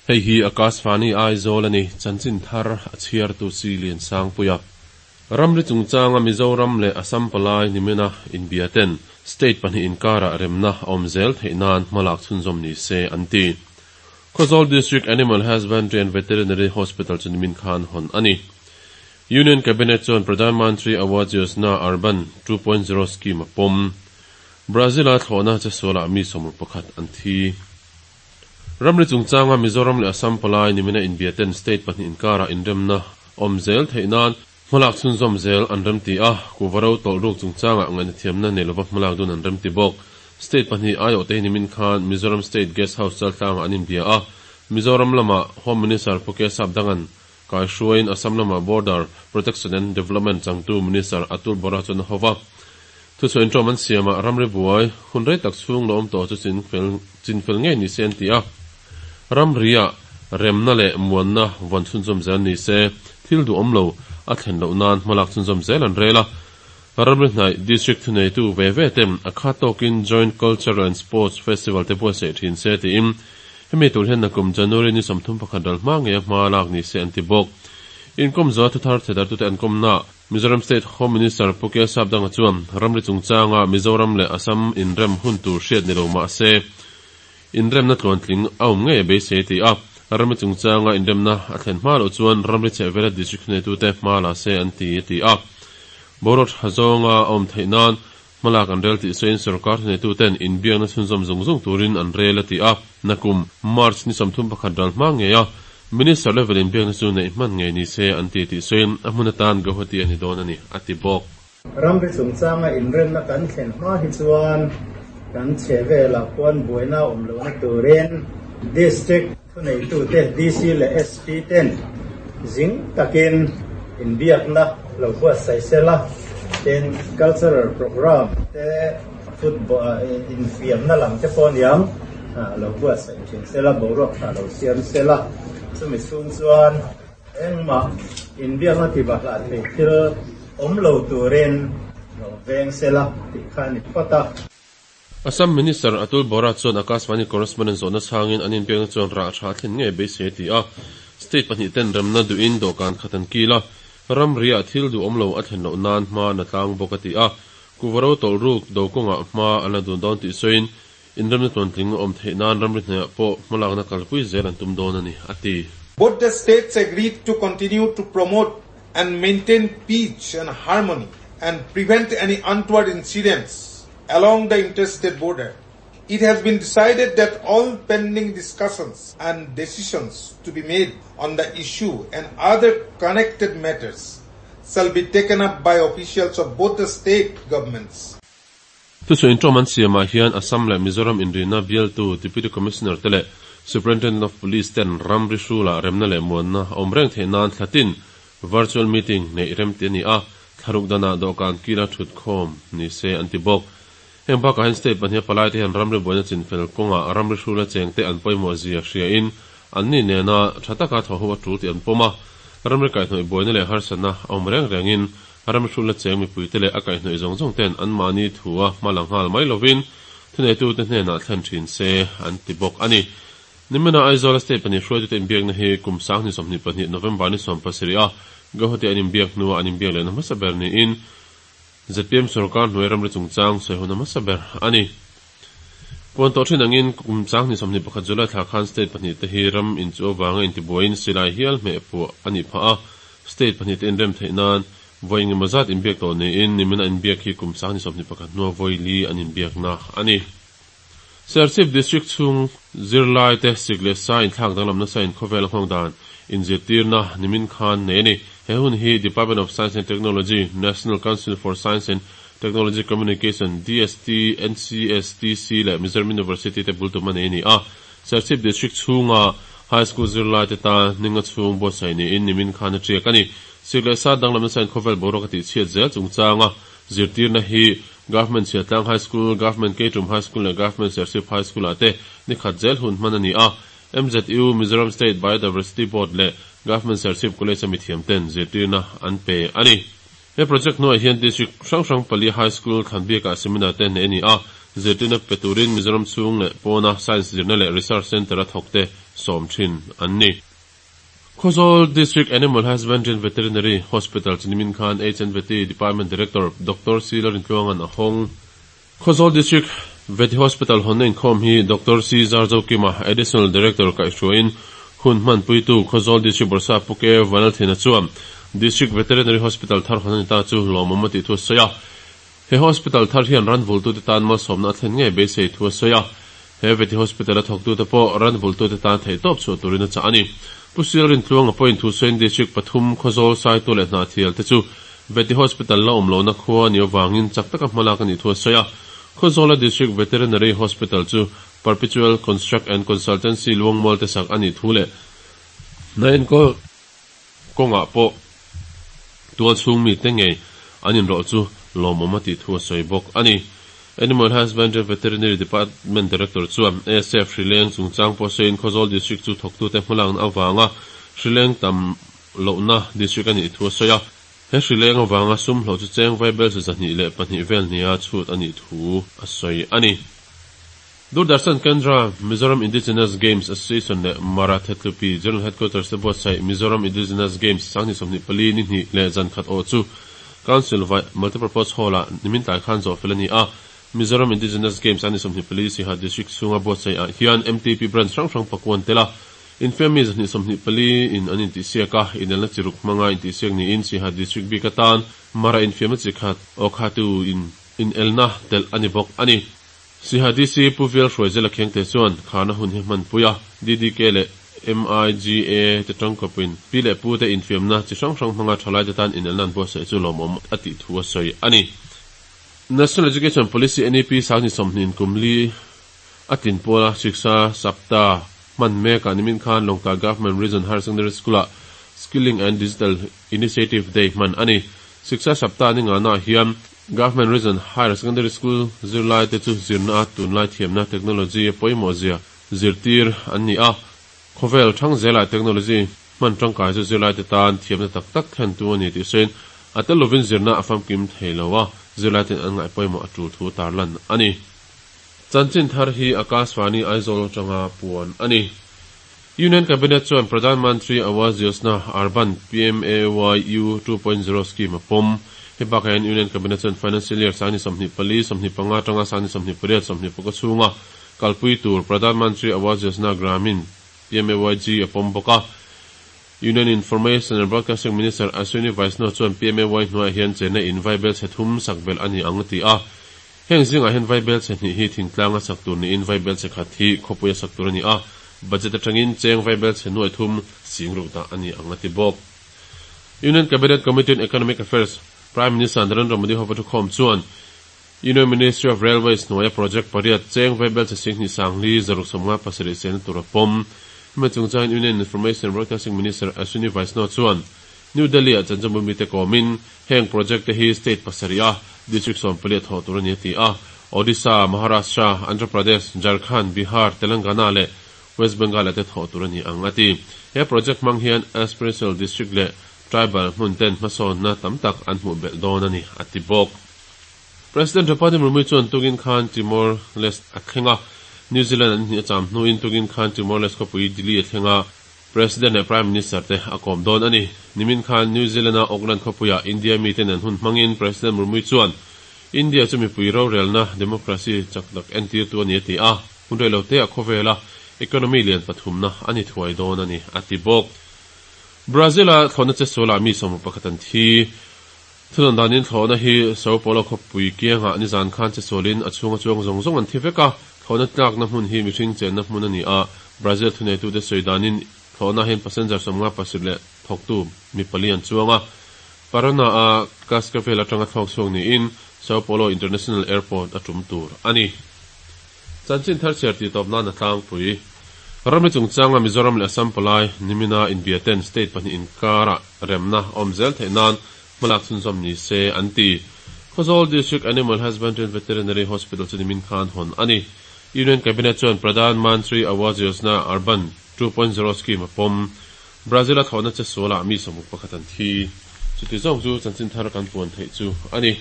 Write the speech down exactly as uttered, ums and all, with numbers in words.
Hei hi Akashvani Aizawl ani chanchin thar a chhiar tu si lian sang puia. Ramri chungchanga Mizoram leh Assam palai nimina inbiaten state pahnih inkara remna awm zel theih nan hmalak chhunzawm ni se an ti. Khawzawl District Animal Husbandry and Veterinary Hospital chu nimin khan hawn ani. Union Cabinet chuan Pradhan Mantri Awas Yojana Urban two point zero scheme a pawm. Brazil a thlawhna chesualah mi sawmruk pakhat an thi. Ramri chungchanga Mizoram leh Assam palai nimina inbiaten state pahnih inkara inremna awm zel theih nan hmalak chhunzawm zel an rem ti a, kuvaro tawlh ruk chungchanga ngaihna thiamna nei lova hmalak dun an rem ti bawk. State pahnih aiawh te hi nimin khan Mizoram State Guest House chaltlangah an inbia a, Mizoram lama Home Minister Pu Kesap Dangan kai hruaiin Assam lama Border Protection and Development changtu Minister Atul Bora chuan a hova. Thusawi inṭawm an siamah ramri buai hun rei tak chhung lo awm tawh chu chinfel ngei ni se an ti a, ramria remna leh muanna vawn chhunzawm zel ni se thil duh awm lo a thlen loh nan hmalak chhunzawm zel an rel a. Ramri hnaih district thuneitu ve ve ten a khat tawkin Joint Cultural and Sports Festival te buatsaih thin se tiin hemi tur hian nakum January ni sawmthum pakhat ral hma ngei a hma lak ni se an ti bawk. Inkawm zaw thuthar thedartute an kawmna Mizoram State Home Minister Pu Kesap Danga chuan ramri chungchanga Mizoram leh Assam inrem hun tur hriat ni lo mah se inremna tluantling a awm ngei a beisei ti a, ramri chungchanga inremna a thlen hma loh chuan ramri chhehvela district thuneitute hma la se an ti a ti a. Boruak tha zawnga a awm theih nan hmalak an rel tih sawiin sorkar thuneituten inbiakna chhunzawm zung zung turin an rel a ti a, nakum March ni sawmthum pakhat ral hma ngei a Minister level inbiakna chu neih hman ngei ni se an ti tih sawiin a hmun atan Guwahati a ni dawn a ni a ti bawk. Ramri chungchanga inremna kan thlen hma hi chuan kan chhehvelah khuan buaina awm lohna turin district thuneitute D C leh S P ten zing takin inbiakna lo buatsaih sela, tin cultural program te football infiamna lam te pawh aniang lo buatsaih thin sela, boruak tha lo siam sela, chumi chhung chuan engmah inbiakna tibahlah thei thil awm lo turin lo veng sela tih kha a ni phawt a. Assam Minister Atul Bora chuan Akashvani correspondent zawhna chhangin an inbiakna chuan rah tha thlen ngei beisei a ti a, state pahnih ten remna duhin dawhkan khat an kil a, ramriah thil duh awm lo a thlen loh nan hma na tlang bawk a ti a, kuvaro tawlh ruk do kawngah hma an la dun dawn tih sawiin inremna tluantling awm theih nan ramri hnaihah pawh hmalakna kalpui zel an tum dawn a ni a ti. Both the states agreed to continue to promote and maintain peace and harmony and prevent any untoward incidents along the interstate border. It has been decided that all pending discussions and decisions to be made on the issue and other connected matters shall be taken up by officials of both the state governments. Thusawi inṭawm an siamah hian Assam leh Mizoram inrina bialtu Deputy Commissioner te leh Superintendent of Police ten ramri hrulah remna leh muanna awm reng theih nan thlatin virtual meeting neih rem ti a ni a, thlaruk danah dawhkan kila thut khawm ni se an ti bawk. Heng bakah hian state pahnih palai te hian ramri buaina chinfel kawngah ramri hrula cheng te an pawimawh zia hriain an ni nena tha taka thaw ho a tul tih an pawm a, ramri kaihhnawih buaina leh harsatna a awm reng rengin ramri hrula cheng mipui te leh a kaihhnawih zawng zawng ten an mahni thua hma la nghal mai lovin thuneitute hnenah thlen thin se an ti bawk a ni. Nimina Aizawl state pahnih hruaitute inbiakna hi kum sang ni sawmhnih pahnih November ni sawm pasarih a Guwahati an inbiak hnuah an inbiak lehna hmasa ber niin Z P M sorkar hnuai ramri chungchang sawi hun hmasa ber a ni. Puan tawh thin angin kum chang ni sawmhnih pakhat July thla khan state pahnih te hi ram inchu avanga intibuaiin silai hial hmeh puah a nih phah a, state pahnih te inrem theih nan vawi engemaw zat inbiak tawh niin nimina inbiak hi kum sang ni sawmhnih pakhat hnua vawi li an inbiakna a ni. Serchhip District chhung zirlai te sik leh sa inthlak danglamna sa inkhawvel a nghawng dan inzirtirna nimin khan nei a ni. He hun hi Department of Science and Technology, National Council for Science and Technology Communication, D S T, N C S T C leh Mizoram University te bultum a nei a ni a. Serchhip District chhunga High School zirlai te ta ninga chhung buatsaih niin nimin khan a tiak a ni. Sik leh sa danglamna sa inkhawvel boruak a tihchhiat zel chungchanga zirtirna hi Government Chhiatlang High School, Government Keitum High School leh Government Serchhip High School ah te ni khat zel hun hman a ni a. M Z U, Mizoram State Biodiversity Board leh Government Serchhip College a mithiam ten zirtirna an pe a ni. He project hnuaiah hian district hrang hrang pali high school thlanbiakah seminar te nei a ni a, zirtirna pe turin Mizoram chhung leh pawna science zirna leh research centre a thawk te sawm thin an ni. Khawzawl District Animal Husbandry and Veterinary Hospital chu nimin khan H and Vety Department Director Doctor C Lalrintluanga'n a hawng. Khawzawl District Vety Hospital hawnna inkhawm hi Doctor C Zarzokima, Additional Director kaihhruaiin hun hmanpuitu Khawzawl District Bawrhsap Pu K Vanlalthena chuan District Veterinary Hospital thar hawn a ni ta chu lawmawm a tih thu a sawi a. He hospital thar hian ran vultute tan malsawmna a thlen ngei beisei thu a sawi a. He Vety Hospital a thawktute pawh ran vultute tan theihtawp chhuah turin a chah a ni. Pu Silrintluanga pawhin Thusain District pathum Khawzawl Saitu leh Hnahthial te chu Vety Hospital la awm lohna khua a nih avangin chak taka hmalak a nih thu a sawi a. Khawzawla District Veterinary Hospital chu Perpetual Construct and Consultancy Luangmual te sak a nih thu leh hna enkawl kawngah pawh tualchhung mite ngei an inrawlh chu lawmawm a tih thu a sawi bawk a ni. Animal Husbandry and Veterinary Department Director chuan A S F hrileng chungchang pawh sawiin Khawzawl District chu thawktute hmalakna avanga hrileng tam lohna district a nih thu a sawi a. He hrileng avanga sum hlawh chu cheng vaibelchhe zahnih leh pahnih vel nia chhut a nih thu a sawi a ni. Doordarshan Kendra, Mizoram Indigenous Games Association leh Mara Thetlupi General Headquarters te buatsaih Mizoram Indigenous Games sanghnih sawmhnih pali ni hnih leh zan khat awh chu Council Vai Multipurpose Hall-ah nimin tlai khan zawh fel a ni a. Mizoram Indigenous Games a ni sawmhnih pali Siha District chhunga buatsaih ah hian M T P branch hrang hrang pakuan tel a, infiammi zahnih sawmhnih pali in an intihsiak a, inelna chi ruk hmanga intihsiak niin Siha District bik atan Mara infiamna chi khat Awkhatu in inelna telh a ni bawk a ni. Siha D C Pu Vial Hruaizela Khengte chuan kharna hun hi hmanpui a, D D K leh M I G A te tangkawpin pi leh pu te infiamna chi hrang hrang hmanga thalaite tan inelna an buatsaih chu lawmawm a tih thu a sawi a ni. National Education Policy N E P sanghnih sawmhnih kum li a tlin pawla Shiksha Saptah hman mekah nimin khan Lawngtlai Government Region Higher Secondary School-ah Skilling and Digital Initiative Day hman a ni. Shiksha Saptah ni ngana hian Government Region Higher Secondary School zirlai te chu zirna a tunlai thiamna technology a pawimawh zia zirtir an ni a. Khawvel thang zela technology hman tangkai chu zirlai te tan thiamna tak tak thlen tu a ni tih sawiin a tel lovin zirna a famkim thei lo a, zirlai ten an ngaih pawimawh a tul thu tarlan a ni. Chanchin thar hi Akashvani Aizawl atanga puan a ni. Union Cabinet chuan Pradhan Mantri Awas Yojana Urban P M A Y U two point zero scheme a pawm. He bakah hian Union Cabinet chuan Financial Year sangni sawmhnih pali sawmhnih panga atanga sangni sawmhnih pariat sawmhnih paka chhunga kalpui tur Pradhan Mantri Awas Yojana Gramin P M A Y G a pawm bawk a. Union Information and Broadcasting Minister Ashwini Vaishnaw chuan P M A Y hnuaiah hian chenna in vaibelchhe thum sak belh a ni ang a ti a. Heng zingah hian vaibelchhe hnih hi thingtlanga sak tur niin vaibelchhe khat hi khawpui a sak tur a ni a. Budget atangin cheng vaibelchhe nuai thum sing ruk dah a ni ang a ti bawk. Union Cabinet Committee on Economic Affairs Prime Minister Narendra Modi hova thukhawm chuan Union Ministry of Railways hnuaia project pariat cheng vaibelchhe sing hnih sangli zaruk sawmnga pasarih chena tur a pawm. Hemi chungchangin Union Information and Broadcasting Minister Ashwini Vaishnaw chuan New Delhi ah chanchinbu mite kawmin heng project te hi state pasarih a district sawm pali a thawh tur a ni a ti a. Odisha, Maharashtra, Andhra Pradesh, Jharkhand, Bihar, Telangana leh West Bengal te thawh tur a ni ang a ti. He project hmang hian aspirational district leh tribal hmun ten hmasawnna tam tak an hmuh belh dawn a ni a ti bawk. President Draupadi Murmu chuan tukin khan Timor Leste a thleng a. New Zealand an hnih a cham hnuin tukin khan Timor Leste khawpui Dili a thleng a, President leh Prime Minister te a kawm dawn a ni. Nimin khan New Zealand a Auckland khawpuiah India miten an hun hmangin President Murmu chuan India chu mipui rorelna democracy chak tak entir tu a ni a ti a. Hun reilo te a khawvela economy lian pathumna ani thuai dawn a ni a ti bawk. Brazil a thlawhna che sualah mi sawm pakhat an thi. Thunawn danin thlawhna hi Sao Paulo khawpui kiangah nizan khan che sualin a chhunga chuang zawng zawng an thi vek a. Thlawhna tlakna hmun hi mihring chenna hmun a ni a. Brazil thuneitute sawi danin thlawhna hian passenger sawmnga pasarih leh thawktu mi pali an chuang a. Parana a Cascavel atanga thlawk chhuak niin Sao Paulo International Airport a tum tur a ni. Chanchin thar chhiar tih tawp nan a tlangpui. Ramri chungchanga Mizoram leh Assam palai nimina inbia ten state pahnih inkarah remna awm zel theih nan hmalak chhunzawm ni se an ti. Khawzawl District Animal Husbandry and Veterinary Hospital chu nimin khan hawn a ni. Union Cabinet chuan Pradhan Mantri Awas Yojana Urban two point zero scheme a pawm. Brazil a thlawhna che sualah mi sawmruk pakhat an thi. Chuti zawng chu chanchin thar kan puan theih chu a ni.